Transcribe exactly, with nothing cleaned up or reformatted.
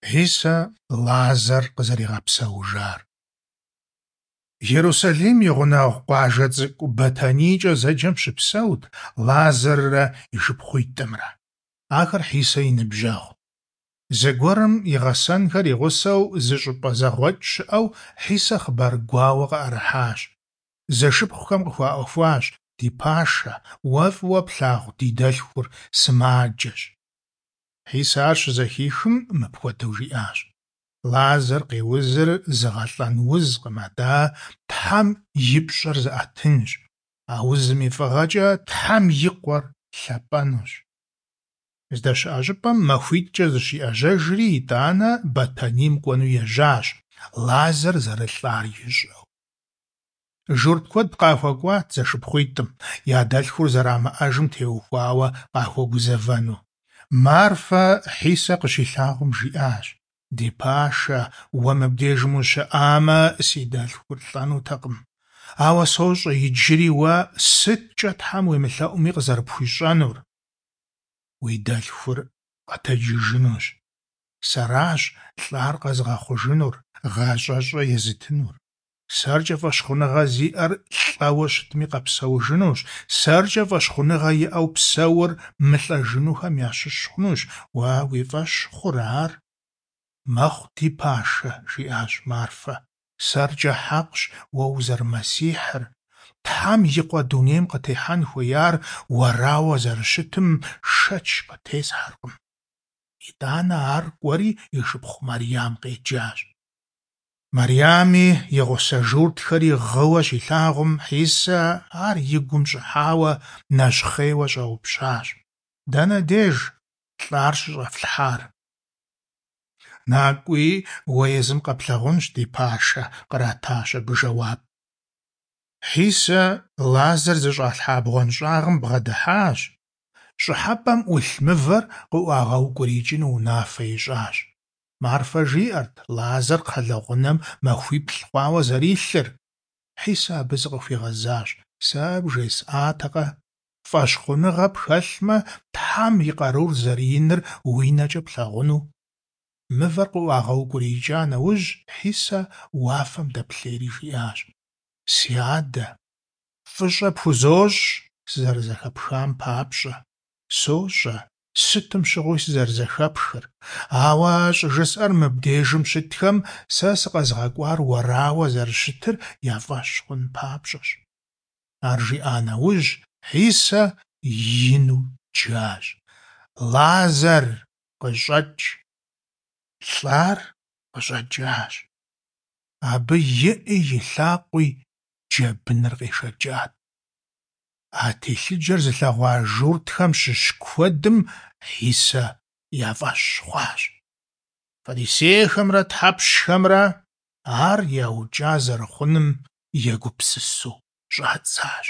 Хьисэ Лазар къызэригъэпсэужар. Ерусалим и гъунэгъу къуажэ цӀыкӀу БэтэнийкӀэ зэджэм щыпсэут Лазаррэ и шыпхъуитӀымрэ. Ахэр Хьисэ и ныбжьэгъут. Зэгуэрым и гъэсэнхэр и гъусэу зы щӀыпӀэ зэгъуэкӀ щыӀэу Хьисэ хъыбар гуауэ къыӀэрыхьащ. Зэшыпхъухэм къыхуаӀуэхуащ: «Ди пашэ, уэ фӀыуэ плъагъу ди дэлъхур сымаджэщ». Хьисэ ар щызэхихым, мыпхуэдэу жиӀащ: «Лазар къеузыр зыгъэлӀэн узкъым, атӀэ Тхьэм и пщӀэр зыӀэтынщ. А узым и фӀыгъэкӀэ Тхьэм и Къуэр лъапӀэнущ». ЗдэщыӀэ щӀыпӀэм махуитӀкӀэ зыщиӀэжьэжри, итӀанэ Бэтэнийм кӀуэну ежьащ, Лазар зэрылӀар ищӀэу. Журт куэд къахуэкӀуат зэшыпхъуитӀым, я дэлъхур зэрамыӀэжым теухуауэ къахуэгузэвэну. Марфэ Хьисэ къыщилъагъум жиӀащ: «Ди пашэ, уэ мыбдежым ущыӀамэ, си дэлъхур лӀэнутэкъым. Ауэ сощӀэ иджыри уэ сыткӀэ Тхьэм уемылъэӀуми къызэрыпхуищӀэнур. Уи дэлъхур къэтэджыжынущ. Сэращ лӀар къэзыгъэхъужынур, гъащӀэщӀэ езытынур. СэркӀэ фӀэщхъуныгъэ зиӀэр лӀэуэ щытми къэпсэужынущ. СэркӀэ фӀэщхъуныгъэ иӀэу псэур мылӀэжынухэм ящыщ хъунущ. Уэ уи фӀэщ хъурэ ар?» «Мэхъу, ди пашэ», – жиӀащ Марфэ. «СэркӀэ хьэкъщ уэ узэрымэсихьыр, Тхьэм и Къуэ дунейм къытехьэн хуеяр уэрауэ зэрыщытым шэч къытесхьэркъым». ИтӀанэ ар кӀуэри и шыпхъу Марьям къеджащ. Марьями и гъусэ журтхэри гъыуэ щилъагъум, Хьисэ ар и гум щӀыхьауэ, нэщхъейуэ щӀэупщӀащ: «Дэнэ деж лӀар щыщӀэфлъхьар?» «НакӀуи, уэ езым къэплъагъунщ, ди пашэ», – къратащ абы жэуап. Хьисэ Лазар зыщӀалъхьа бгъуэнщӀагъым бгъэдыхьащ, щӀыхьэпӀэм Ӏулъ мывэр къыӀуагъэукӀуриикӀыну унафэ ищӀащ. Марфэ жиӀэрт Лазар кхъэлэгъунэм махуиплӀ хъуауэ зэрилъыр. Хьисэ абы зыкъыхуигъэзащ: «Сэ бжесӀатэкъэ, фӀэщхъуныгъэ пхэлъмэ, Тхьэм и къарур зэрыиныр уи нэкӀэ плъагъуну?» Мывэр къыӀуагъэукӀуриикӀа нэужь, Хьисэ уафэм дэплъейри жиӀащ: «Си Адэ, фӀыщӀэ пхузощӀ сызэрызэхэпхам папщӀэ. СощӀэ сытым щыгъуи сызэрызэхэпхыр, ауэ щӀыжысӀэр мыбдежым щытхэм сэ сыкъэзыгъэкӀуар уэрауэ зэрыщытыр я фӀэщ хъун папщӀэщ». Ар жиӀа нэужь, Хьисэ ину джащ: «Лазар, къыщӀэкӀ!» ЛӀар къыщӀэкӀащ. Абы и Ӏи и лъакъуи джэбыныр къешэкӀат. А телъыджэр зылъэгъуа журтхэм щыщ куэдым Хьисэ я фӀэщ хъуащ. Фарисейхэмрэ тхьэпщхэмрэ ар яукӀа зэрыхъуным егупсысу щӀадзащ.